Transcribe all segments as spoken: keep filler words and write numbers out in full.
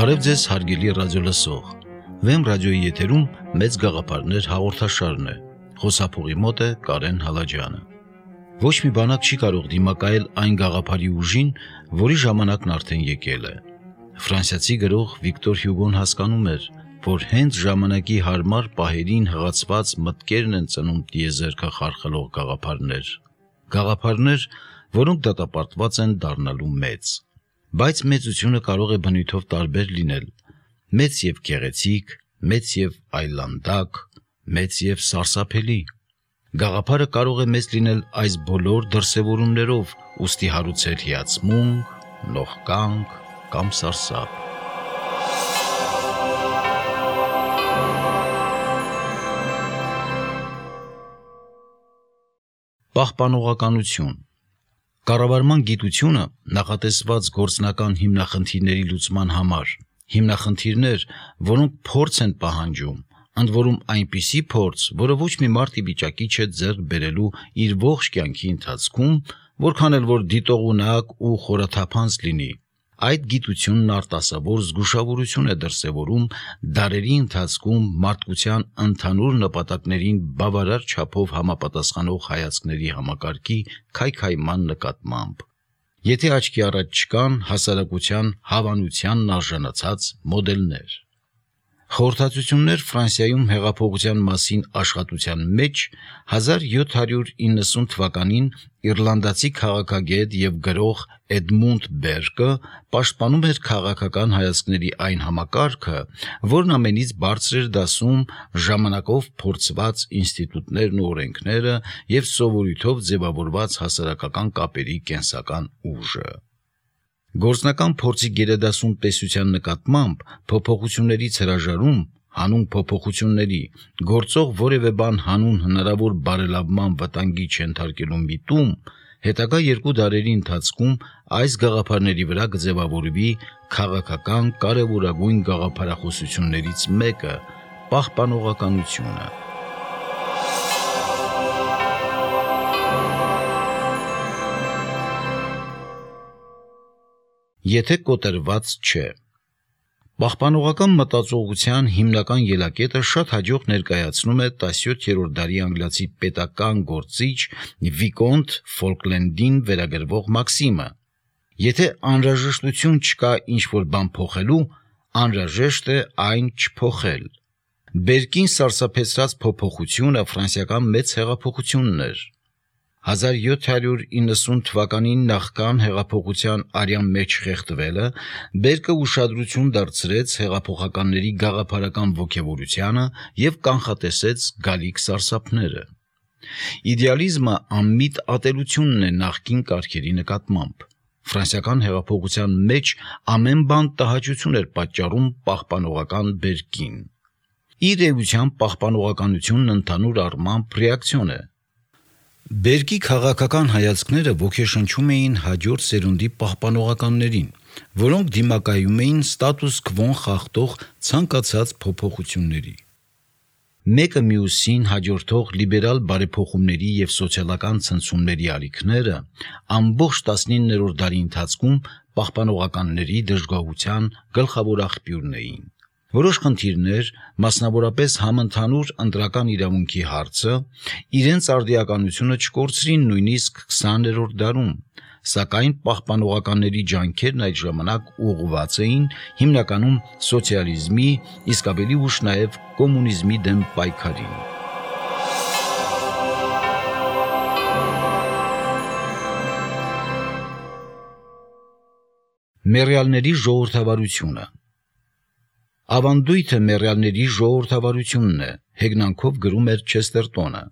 Բարև ձեզ հարգելի ռադիոլսող, Վեմ ռադիոյի եթերում մեծ գաղափարներ հաղորդաշարն է, խոսափողի մոտ է Կարեն Հալաջյանը։ Ոչ մի բանակ չի կարող դիմակայել այն գաղափարի ուժին, որի ժամանակն արդեն եկել է։ Ֆրանսիացի գրող Վիկտոր Հյուգոն հասկանում էր, որ հենց ժամանակի հարմար պահերին հղացված մտքերն են ծնում տիեզերքը խարխլող գաղափարներ, գաղափարներ, որոնք դատապարտված են դառնալու մեծ։ Բայց մեծությունը կարող է բնույթով տարբեր լինել, մեծ և գեղեցիկ, մեծ և այլանդակ, մեծ և սարսափելի։ Գաղափարը կարող է մեծ լինել այս բոլոր դրսևորումներով, ուստի հարուցել հիացմունք, նողկանք կամ սարսափ։ Պահպանողականություն։ Կառավարման գիտությունը նախատեսված գործնական հիմնախնդիրների լուծման համար, հիմնախնդիրներ, որոնք փորձ են պահանջում, ընդ որում այնպիսի փորձ, որը ոչ մի մարդ ի վիճակի չէ ձեռք բերելու իր ողջ կյանքի ընթացքում, որքան էլ որ դիտողունակ ու խորաթափանց լինի, այդ գիտությունն արտասովոր զգուշավորություն է դրսևորում դարերի ընթացքում մարդկության ընդհանուր նպատակներին բավարար չափով համապատասխանող հայացքների համակարգի քայքայման նկատմամբ։ Եթե աչքի առաջ չկան հասարակության հավանությանն արժանացած մոդելներ։ Խորհրդածություններ Ֆրանսիայում հեղափոխության մասին աշխատության մեջ հազար յոթ հարյուր իննսուն թվականին իռլանդացի քաղաքագետ և գրող Էդմունդ Բերկը պաշտպանում էր քաղաքական հայացքների այն համակարգը, որն ամենից բարձր էր դասում ժամանակով փորձված ինստիտուտներն ու օրենքները և սովորույթով ձևավորված հասարակական կապերի կենսական ուժը։ Գործնական փորձի գերադասում տեսության նկատմամբ փոփոխություններից հրաժարում, հանուն փոփոխությունների, գործող որևէ բան հանուն հնարավոր բարելավման վտանգի չենթարկելու միտում, հետագա երկու դարերի ընթացքում այս գաղափարների վրա կձևավորվի քաղաքական կարևորագույն գաղափարախոսություններից մեկը՝ պահպանողականությունը։ Եթե կոտրված չէ։ Պահպանողական մտածողության հիմնական ելակետը շատ հաջող ներկայացնում է տասնյոթերորդ դարի անգլիացի պետական գործիչ Վիկոնտ Ֆոլկլենդին վերագրվող մաքսիմը. Եթե անհրաժեշտություն չկա ինչ-որ բան փոխելու, անհրաժեշտ է այն չփոխել։ Բերկին սարսափեցրած փոփոխությունը ֆրանսիական մեծ հեղափոխությունն էր։ հազար յոթ հարյուր իննսուն թվականին նախքան հեղափոխության արյան մեջ խեղդվելը, Բերկը ուշադրություն դարձրեց հեղափոխականների գաղափարական ոգևորությանը և կանխատեսեց գալիք սարսափները։ Իդեալիզմը անմիտ ատելությունն է նախկին կարգերի նկատմամբ։ Ֆրանսիական հեղափոխության մեջ ամեն բան տհաճություն էր պատճառում պահպանողական Բերկին։ Իր էության պահպանողականությունն ընդհանուր առմամբ ռեակցիոն է։ Բերկի քաղաքական հայացքները ոգեշնչում էին հաջորդ սերունդի պահպանողականներին, որոնք դիմակայում էին ստատուս քվոն խախտող ցանկացած փոփոխությունների։ Մեկը մյուսին հաջորդող լիբերալ բարեփոխումների և սոցիալական ցնցումների ալիքները ամբողջ տասնիններորդ դարի ընթացքում պահպանողականների դժգոհության գլխավոր աղբյուրն էին։ Որոշ խնդիրներ, մասնավորապես համընդհանուր ընտրական իրավունքի հարցը, իրենց արդիականությունը չկորցրին նույնիսկ քսաներորդ դարում, սակայն պահպանողականների ջանքերն այդ ժամանակ ուղղված էին հիմնականում սոցիալիզմի, իսկ ավելի ուշ նաև կոմունիզմի դեմ պայքարին։ Մեռյալների ժողովրդավարությունը։ Ավանդույթը մեռյալների ժողովրդավարությունն է, հեգնանքով գրում էր Չեստերտոնը։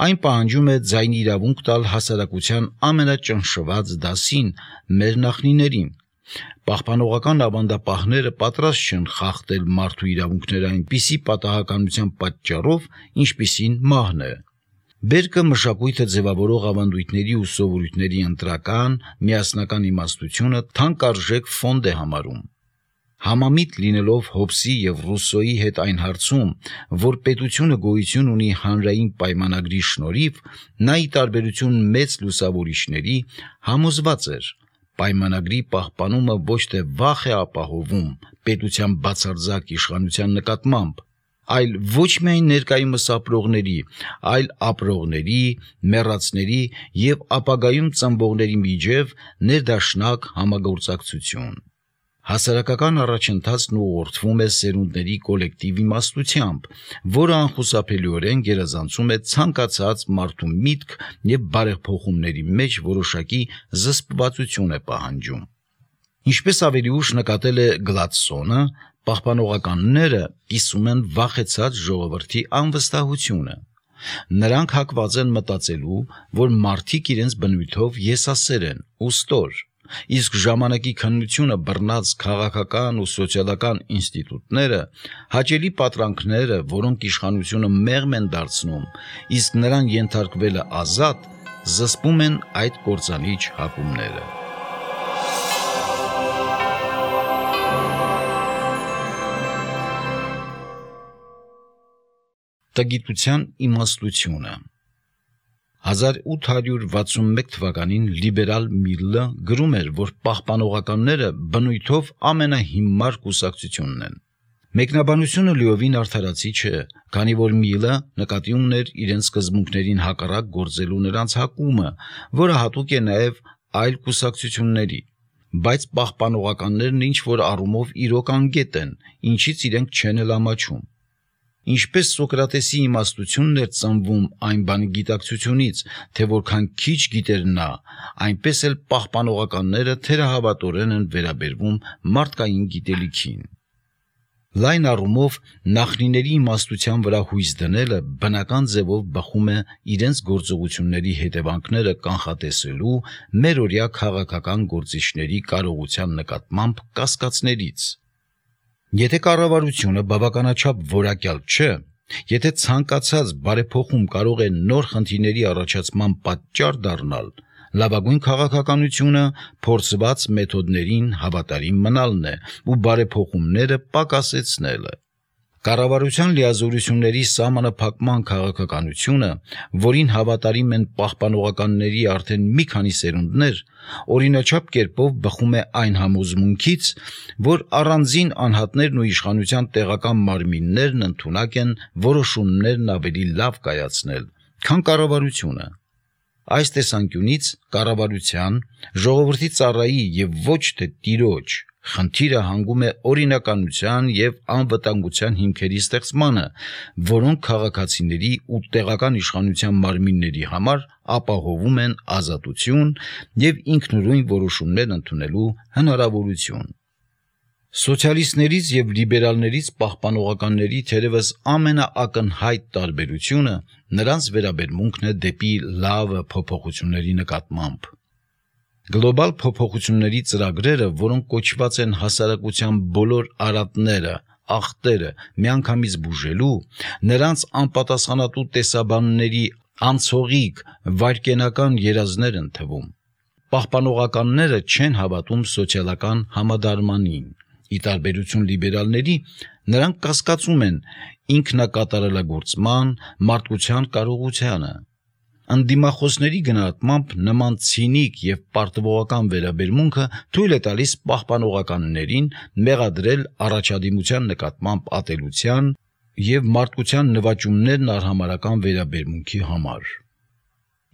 Այն պահանջում է ձայնի իրավունք տալ հասարակության ամենաճնշված դասին՝ մեր նախնիներին։ Պահպանողական ավանդապահները պատրաստ չեն խախտել մարդու իրավունքները այնպիսի պատահականության պատճառով, ինչպիսին մահն է։ Բերկը մշակույթը ձևավորող ավանդույթների ու սովորույթների ընտրական, միասնական իմաստությունը թանկարժեք ֆոնդ է համարում։ Համամիտ լինելով Հոբսի և Ռուսսոյի հետ այն հարցում, որ պետությունը գոյություն ունի հանրային պայմանագրի շնորհիվ, նա ի տարբերություն մեծ լուսավորիչների համոզված էր, պայմանագրի պահպանումը ոչ թե վախ է ապահովում պետության բացարձակ իշխանության նկատմամբ, այլ ոչ միայն ներկայումս ապրողների, այլ ապրողների, մեռածների և ապագայում ծնվողների միջև ներդաշնակ համագործակցություն։ Հասարակական առաջընթացն ուղղորդվում է սերունդների կոլեկտիվ իմաստությամբ, որը անխուսափելիորեն գերազանցում է ցանկացած մարդու միտք և բարեփոխումների մեջ որոշակի զսպվածություն է պահանջում։ Ինչպես ավելի ուշ նկատել է Գլադսոնը, պահպանողականները կիսում են վախեցած ժողովրդի անվստահությունը։ Նրանք հակված են մտածելու, որ մարդիկ իրենց բնույթով եսասեր են ու ստոր, իսկ ժամանակի քննությունը բռնած քաղաքական ու սոցիալական ինստիտուտները, հաճելի պատրանքները, որոնք իշխանությունը մեղմ են դարձնում, իսկ նրան ենթարկվելը ազատ, զսպում են այդ կործանիչ հակումները։ Տգիտության իմաստությունը։ հազար ութ հարյուր վաթսունմեկ թվականին լիբերալ Միլլը գրում էր, որ պահպանողականները բնույթով ամենահիմար կուսակցությունն են։ Մեկնաբանությունը լիովին արդարացի չէ, քանի որ Միլը նկատի ուներ իրենց սկզբունքներին հակառակ գործելու նրանց հակումը, որը հատուկ է նաև այլ կուսակցությունների, բայց պահպանողականներն ինչ-որ առումով իրոք անգետ են, ինչից իրենք չեն էլ ամաչում։ Ինչպես Սոկրատեսի իմաստությունն էր ծնվում այն բանի գիտակցությունից, թե որքան քիչ գիտեր նա, այնպես էլ պահպանողականները թերահավատորեն են վերաբերվում մարդկային գիտելիքին։ Լայն առումով նախնիների իմաստության վրա հույս դնելը բնական ձևով բխում է իրենց գործողությունների հետևանքները կանխատեսելու մերօրյա քաղաքական գործիչների կարողության նկատմամբ կասկածներից։ Եթե կառավարությունը բավականաչափ որակյալ չէ, եթե ցանկացած բարեփոխում կարող է նոր խնդիրների առաջացման պատճառ դառնալ, լավագույն քաղաքականությունը փորձված մեթոդներին հավատարիմ մնալն է ու բարեփոխումները պակասեցնելը։ Կառավարության լիազորությունների սահմանափակման քաղաքականությունը, որին հավատարիմ են պահպանողականների արդեն մի քանի սերունդներ, օրինաչափ կերպով բխում է այն համոզմունքից, որ առանձին անհատներն ու իշխանության տեղական մարմիններն ընդունակ են որոշումներն ավելի լավ կայացնել, քան կառավարությունը։ Այս տեսանկյունից կառավարության, ժողովրդի ծառայի և ոչ թե տիրոջ խնդիրը հանգում է օրինականության և անվտանգության հիմքերի ստեղծմանը, որոնք քաղաքացիների ու տեղական իշխանության մարմինների համար ապահովում են ազատություն և ինքնուրույն որոշումներ ընդունելու հնարավորություն։ Սոցիալիստներից և լիբերալներից պահպանողականների թերևս ամենաակնհայտ տարբերությունը նրանց վերաբերմունքն է դեպի լավը փոփոխությունների նկատմամբ։ Գլոբալ փոփոխությունների ծրագրերը, որոնք կոչված են հասարակության բոլոր արատները, ախտերը միանգամից բուժելու, նրանց անպատասխանատու տեսաբանների անցողիկ վայրկենական երազներ են թվում։ Պահպանողականները չեն հավատում սոցիալական համադարմանին։ Ի տարբերություն լիբերալների, նրանք կասկածում են ինքնակատարելագործման, մարդկության կարողությանը։ Ընդդիմախոսների գնահատմամբ նման ցինիկ և պարտվողական վերաբերմունքը թույլ է տալիս պահպանողականներին մեղադրել առաջադիմության նկատմամբ ատելության և մարդկության նվաճումներն արհամարհական վերաբերմունքի համար։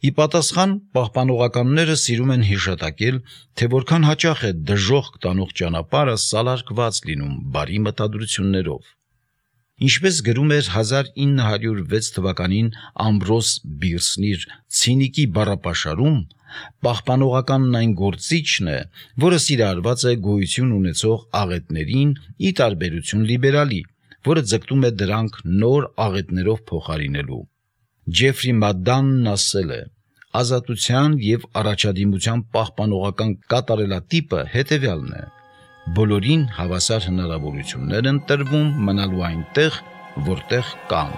Ի պատասխան, պահպանողականները սիրում են հիշատակել, թե որքան հաճախ է դժոխք տանող ճանապարհը սալարկված լինում բարի մտադրություններով։ Ինչպես գրում էր հազար ինը հարյուր վեց թվականին Ամբրոս Բիրսն իր «Ցինիկի բառապաշարում», պահպանողականն այն գործիչն է, որը սիրահարված է գոյություն ունեցող աղետներին ի տարբերություն լիբերալի, որը ձգտում է դրանք նոր աղետներով փոխարինելու։ Ջեֆրի Մադանն ասել է. «Ազատության և առաջադիմության պահպանողական կատարելատիպը հետևյալն է. բոլորին հավասար հնարավորություններ են տրվում մնալու այնտեղ, որտեղ կան»։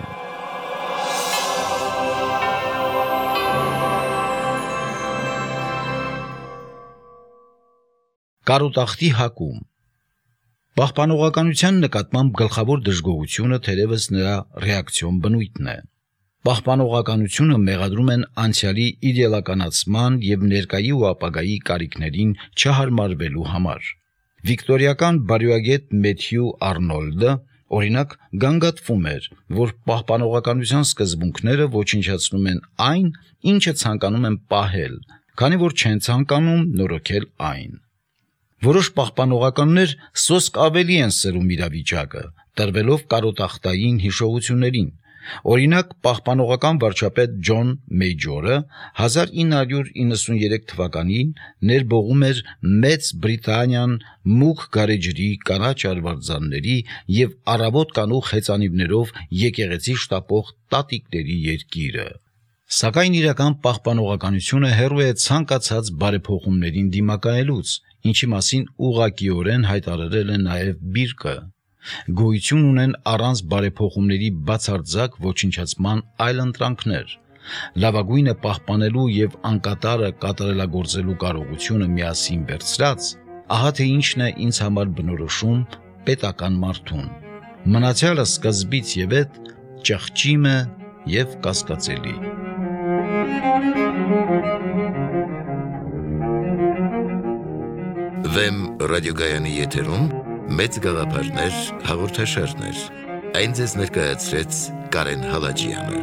Կարոտախտի հակում։ Պահպանողականության նկատմամբ գլխավոր դժգոհությունը թերևս նրա ռեակցիոն բնույթն է։ Պահպանողականությունը մեղադրում են անցյալի իդեալականացման եւ ներկայի ու ապագայի կարիքներին չհարմարվելու համար։ Վիկտորիական բարոյագետ Մեթյու Արնոլդը օրինակ գանգատվում էր, որ պահպանողականության սկզբունքները ոչնչացնում են այն, ինչը ցանկանում են պահել, քանի որ չեն ցանկանում նորոգել այն։ Որոշ պահպանողականներ սոսկ ավելի են սրում իրավիճակը, տրվելով կարոտախտային հիշողություններին։ Օրինակ, պահպանողական վարչապետ Ջոն Մեյջորը հազար ինը հարյուր իննսուներեք թվականին ներբողում էր Մեծ Բրիտանիան մուգ գարեջրի, կանաչ արվարձանների եւ առավոտ կանուխ հեծանիվներով եկեղեցի շտապող տատիկների երկիրը։ Սակայն իրական պահպանողականությունը հեռու է ցանկացած բարեփոխումներին դիմակայելուց, ինչի մասին ուղղակիորեն հայտարարել է նաև Բիրկը։ Գոյություն ունեն առանց բարեփոխումների բացարձակ ոչնչացման այլընտրանքներ։ Լավագույնը պահպանելու եւ անկատարը կատարելագործելու կարողությունը միասին վերցրած, ահա թե ինչն է ինձ համար բնորոշում պետական մարդուն։ Մնացյալը սկզբից եւ հետ ճղճիմ է եւ կասկածելի։ Վեմ ռադիոգայանի եթերում մեծ գաղափարներ հաղորդաշարներ։ Այն ձեզ ներկայացրեց Կարեն Հալաջյանը։